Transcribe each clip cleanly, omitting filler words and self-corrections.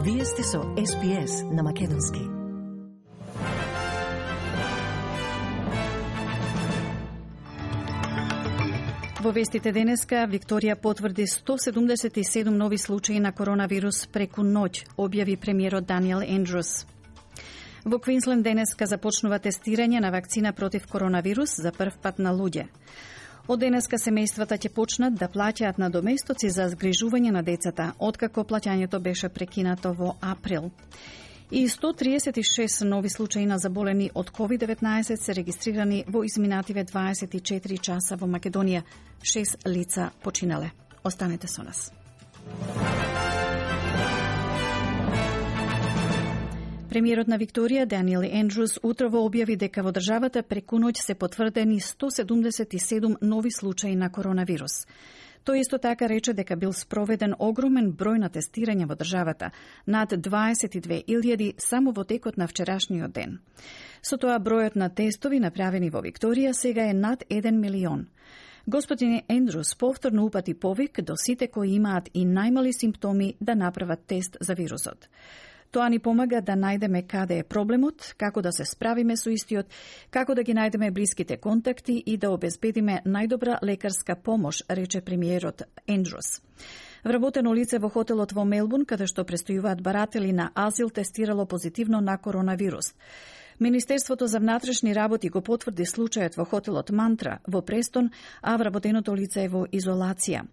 Вие сте со SPS на Македонски. Во вестите денеска, Викторија потврди 177 нови случаи на коронавирус преку ноќ, објави премиерот Даниел Ендрус. Во Квинсленд денеска започнува тестирање на вакцина против коронавирус за прв пат на луѓе. Од денеска семејствата ќе почнат да плаќаат надоместоци за згрижување на децата, откако плаќањето беше прекинато во април. И 136 нови случаи на заболени од COVID-19 се регистрирани во изминативе 24 часа во Македонија. 6 лица починале. Останете со нас. Премиерот на Викторија, Даниел Ендрус, утрово објави дека во државата преку ноќ се потврдени 177 нови случаи на коронавирус. Тој исто така рече дека бил спроведен огромен број на тестирања во државата, над 22.000 само во текот на вчерашниот ден. Со тоа бројот на тестови направени во Викторија сега е над 1 милион. Господин Ендрус повторно упати повик до сите кои имаат и најмали симптоми да направат тест за вирусот. Тоа ни помага да најдеме каде е проблемот, како да се справиме со истиот, како да ги најдеме блиските контакти и да обезбедиме најдобра лекарска помош, рече премиерот Ендрус. Вработено лице во хотелот во Мелбурн, каде што престојуваат баратели на азил, тестирало позитивно на коронавирус. Министерството за внатрешни работи го потврди случајот во хотелот Мантра во Престон, а вработеното лице е во изолација.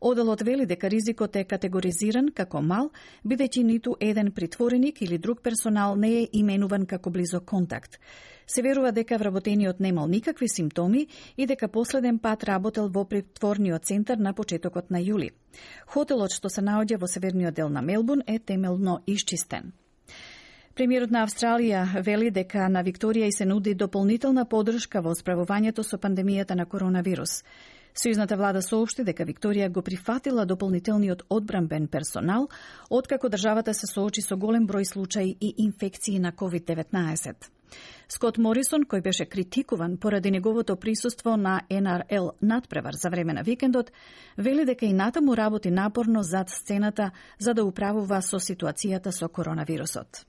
Оделот вели дека ризикот е категоризиран како мал, бидејќи ниту еден притвореник или друг персонал не е именуван како близок контакт. Се верува дека вработениот немал никакви симптоми и дека последен пат работел во притворниот центар на почетокот на јули. Хотелот што се наоѓа во северниот дел на Мелбурн е темелно исчистен. Премиерот на Австралија вели дека на Викторија и се нуди дополнителна поддршка во справувањето со пандемијата на коронавирус. Сојузната влада соопшти дека Викторија го прифатила дополнителниот одбранбен персонал, откако државата се соочи со голем број случаи и инфекции на COVID-19. Скот Морисон, кој беше критикуван поради неговото присуство на НРЛ надпревар за време на викендот, вели дека и натаму работи напорно зад сцената за да управува со ситуацијата со коронавирусот.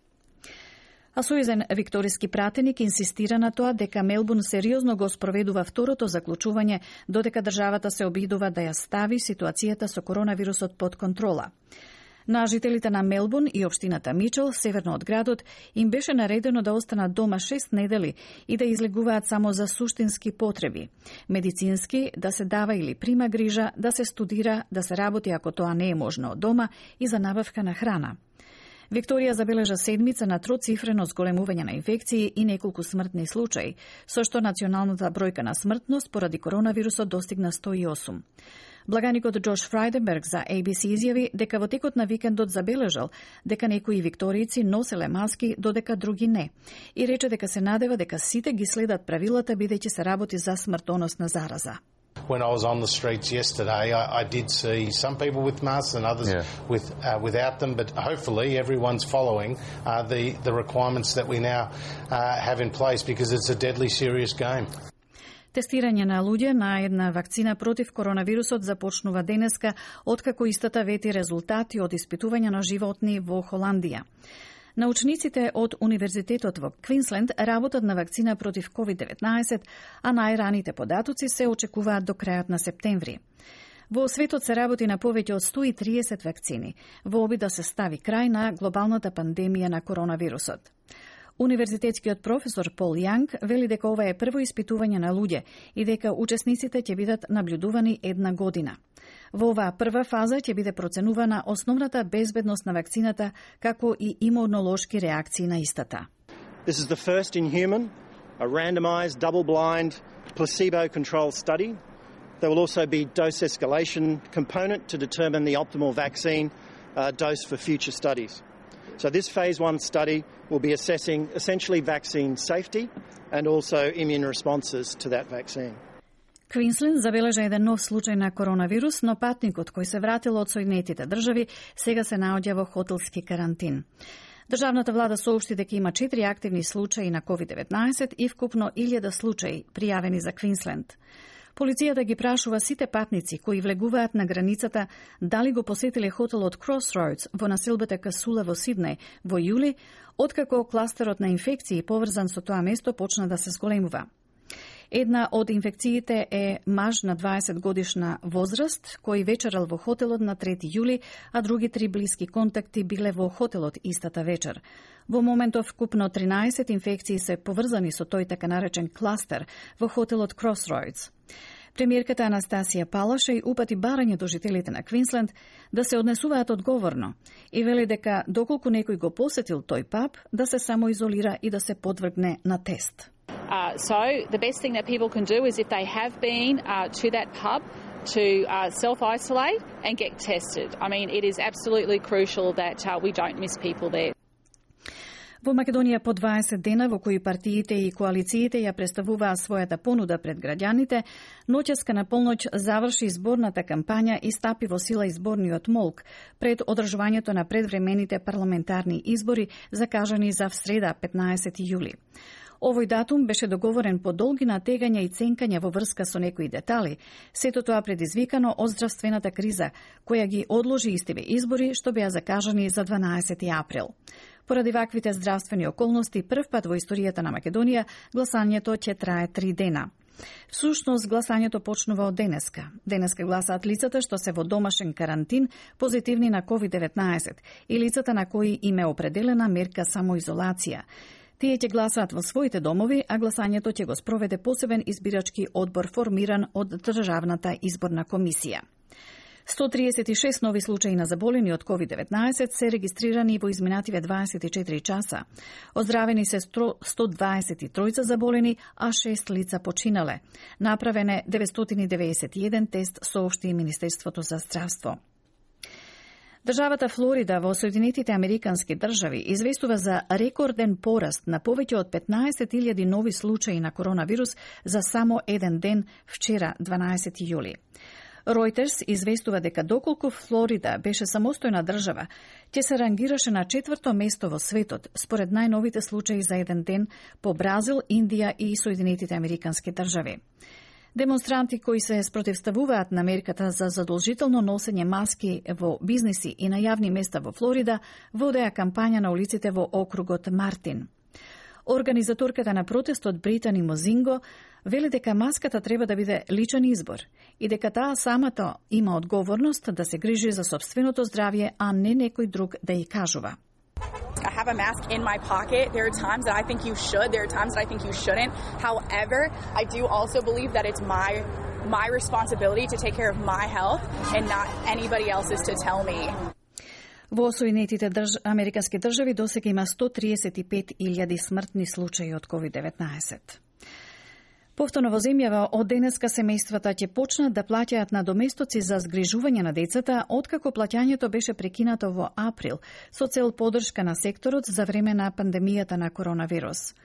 А сојузен викториски пратеник инсистира на тоа дека Мелбурн сериозно го спроведува второто заклучување, додека државата се обидува да ја стави ситуацијата со коронавирусот под контрола. На жителите на Мелбурн и општината Мичел, северно од градот, им беше наредено да останат дома 6 недели и да излегуваат само за суштински потреби. Медицински, да се дава или прима грижа, да се студира, да се работи ако тоа не е можно од дома и за набавка на храна. Викторија забележа седмица на троцифрено зголемување на инфекции и неколку смртни случаи, со што националната бројка на смртност поради коронавирусот достигна 108. Благаникот Джош Фрајденберг за ABC изјави дека во текот на викендот забележал дека некои викторијци носеле маски, додека други не, и рече дека се надева дека сите ги следат правилата бидејќи се работи за смртоносна зараза. When I was on the streets yesterday, I did see some people with masks and others without them, but hopefully everyone's following the requirements that we now have in place because it's a deadly serious game. Тестирање на луѓе на една вакцина против коронавирусот започнува денеска, откако истата вети резултати од испитување на животни во Холандија. Научниците од Универзитетот во Квинсленд работат на вакцина против COVID-19, а најраните податоци се очекуваат до крајот на септември. Во светот се работи на повеќе од 130 вакцини, во обид да се стави крај на глобалната пандемија на коронавирусот. Универзитетскиот професор Пол Јанг вели дека ова е прво испитување на луѓе и дека учесниците ќе бидат наблюдувани една година. Во оваа прва фаза ќе биде проценувана основната безбедност на вакцината, како и имунолошки реакции на истата. This is the first in human, a randomized, double-blind, placebo-controlled study. There will also be dose escalation component to determine the optimal vaccine dose for future studies. So this phase 1 study will be assessing essentially vaccine safety and also immune responses to that vaccine. Квинсленд забележа еден нов случај на коронавирус, но патникот кој се вратил од Соединетите држави сега се наоѓа во хотелски карантин. Државната влада соопшти дека има 4 активни случаи на COVID-19 и вкупно 1000 случаи пријавени за Квинсленд. Полицијата ги прашува сите патници кои влегуваат на границата дали го посетиле хотелот Crossroads во населбата Касула во Сиднеј во јули, откако кластерот на инфекции поврзан со тоа место почна да се зголемува. Една од инфекциите е маж на 20 годишна возраст, кој вечерал во хотелот на 3 јули, а други 3 блиски контакти биле во хотелот истата вечер. Во моментов вкупно 13 инфекции се поврзани со тој така наречен кластер во хотелот Crossroads. Премиерката Анастасија Палашеј упати барање до жителите на Квинсленд да се однесуваат одговорно и вели дека доколку некој го посетил тој паб, да се самоизолира и да се подвргне на тест. So the best thing that people can do is if they have been to that pub to self-isolate and get tested. I mean, it is absolutely crucial that we don't miss people there. Во Македонија по 20 дена во кои партиите и коалициите ја представуваа својата понуда пред граѓаните, ноќеска на полноќ заврши изборната кампања и стапи во сила изборниот молк пред одржувањето на предвремените парламентарни избори закажани за среда 15 јули. Овој датум беше договорен по долги натегања и ценкања во врска со некои детали, сето тоа предизвикано од здравствената криза, која ги одложи истиве избори што беа закажани за 12 април. Поради ваквите здравствени околности, прв пат во историјата на Македонија, гласањето ќе трае 3 дена. Всушност, гласањето почнува од денеска. Денеска гласаат лицата што се во домашен карантин позитивни на COVID-19 и лицата на кои им е определена мерка самоизолација. Тие ќе гласаат во своите домови, а гласањето ќе го спроведе посебен избирачки одбор формиран од Државната изборна комисија. 136 нови случаи на заболени од COVID-19 се регистрирани во изминативе 24 часа. Оздравени се 123 заболени, а 6 лица починале. Направен е 991 тест, соопшти Министерството за здравство. Државата Флорида во Соединетите Американски држави известува за рекорден пораст на повеќе од 15.000 нови случаи на коронавирус за само еден ден вчера, 12 јули. Reuters известува дека доколку Флорида беше самостојна држава, ќе се рангираше на 4-то место во светот, според најновите случаи за еден ден по Бразил, Индија и Соединетите Американски држави. Демонстранти кои се спротивставуваат на мерката за задолжително носење маски во бизниси и на јавни места во Флорида водеа кампања на улиците во округот Мартин. Организаторката на протестот Британи Мозинго вели дека маската треба да биде личен избор и дека таа самата има одговорност да се грижи за собственото здравје, а не некој друг да ја кажува. I have a mask in my pocket. There are times that I think you should. There are times that I think you shouldn't. However, I do also believe that it's my responsibility to take care of my health and not anybody else's to tell me. Во Соединетите Американски држави досега има 135.000 смртни случаи од COVID-19. Повторно во земјава, од денеска семејствата ќе почнат да плаќаат надоместоци за згрижување на децата, откако плаќањето беше прекинато во април, со цел поддршка на секторот за време на пандемијата на коронавирус.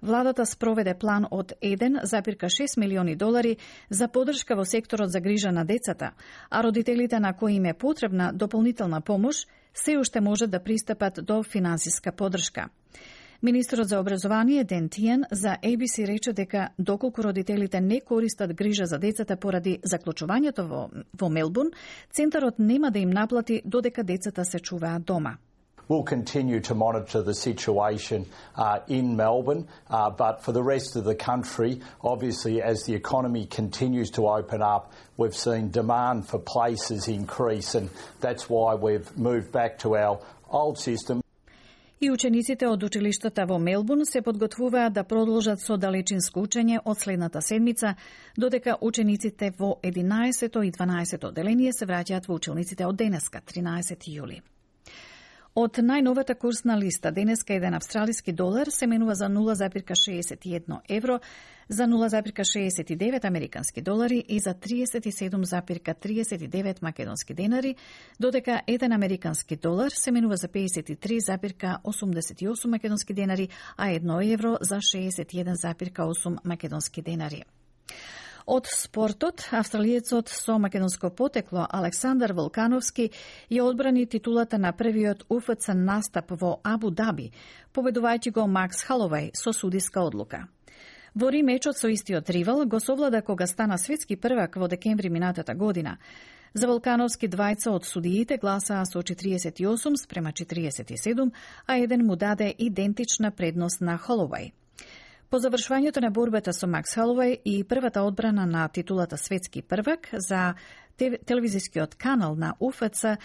Владата спроведе план од $1,6 милиони за поддршка во секторот за грижа на децата, а родителите на кои им е потребна дополнителна помош се уште можат да пристапат до финансиска поддршка. Министрот за образование Ден Тиен за ABC рече дека доколку родителите не користат грижа за децата поради заклучувањето во Мелбурн, центарот нема да им наплати додека децата се чуваат дома. We'll continue to monitor the situation in Melbourne, but for the rest of the country, obviously as the economy continues to open up, we've seen demand for places increase, and that's why we've moved back to our old system. И учениците од училиштата во Мелбурн се подготвуваат да продолжат со далечинско учење од следната седмица, додека учениците во 11-то и 12-то одделение се враќаат во училниците од денеска, 13 јули. Од најновата курсна листа, денеска еден австралиски долар се менува за 0,61 евро, за 0,69 американски долари и за 37,39 македонски денари, додека еден американски долар се менува за 53,88 македонски денари, а 1 евро за 61,8 македонски денари. Од спортот, австралиецот со македонско потекло Александар Волкановски ја одбрани титулата на првиот УФЦ настап во Абу Даби, победувајќи го Макс Халовај со судиска одлука. Во Рим мечот со истиот ривал го совлада кога стана светски првак во декември минатата година. За Волкановски двајца од судиите гласаа со 48 спрема 47, а еден му даде идентична предност на Холовај. По завршувањето на борбата со Макс Холовај и првата одбрана на титулата светски првак за телевизискиот канал на УФЦ,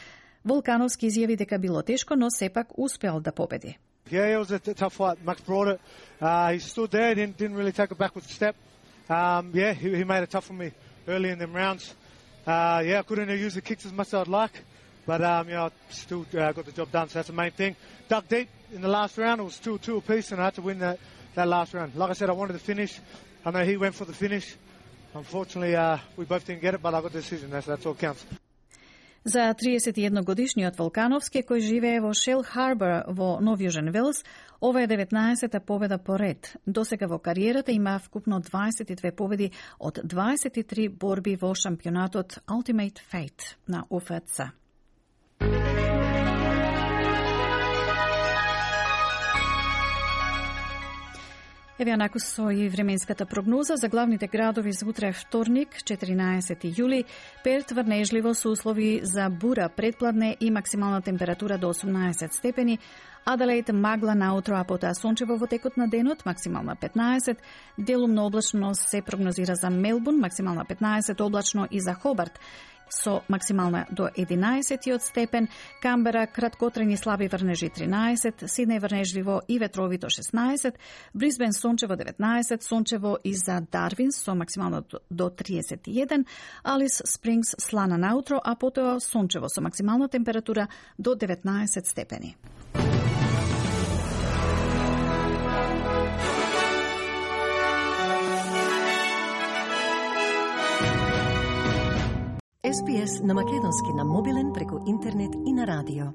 Волкановски изјави дека било тешко, но сепак успеал да победи. Yeah, it was a tough fight. Max brought it. He stood there, didn't really take a backward step. He made it tough for me early in them rounds. I couldn't use the kicks as much as I'd like, but I still got the job done, so that's the main thing. Dug deep in the last round. It was 2-2 apiece, and I had to win that last round. Like I said, I wanted the finish. I know he went for the finish. Unfortunately, we both didn't get it, but I got the decision. That's all counts. За 31-годишниот Волкановски, кој живее во Шел Харбор во Нов Јужен Велс, ова е 19-та победа по ред. Досега во кариерата има вкупно 22 победи од 23 борби во шампионатот Ultimate Fight на УФЦ. Еве онаку со и временската прогноза за главните градови за утре вторник, 14 јули. Перт врнежливо со услови за бура предпладне и максимална температура до 18 степени. Аделаид магла наутро, а потоа сончево во текот на денот, максимална 15. Делумно облачно се прогнозира за Мелбурн, максимална 15, облачно и за Хобарт со максимална до 11 степен, Камбера краткотрени слаби врнежи 13, Сиднеј врнежливо и ветровито 16, Брисбен сончево 19, сончево и за Дарвин со максимално до 31, Алис Спрингс слана наутро, а потоа сончево со максимална температура до 19 степени. SPS на македонски на мобилен преку интернет и на радио.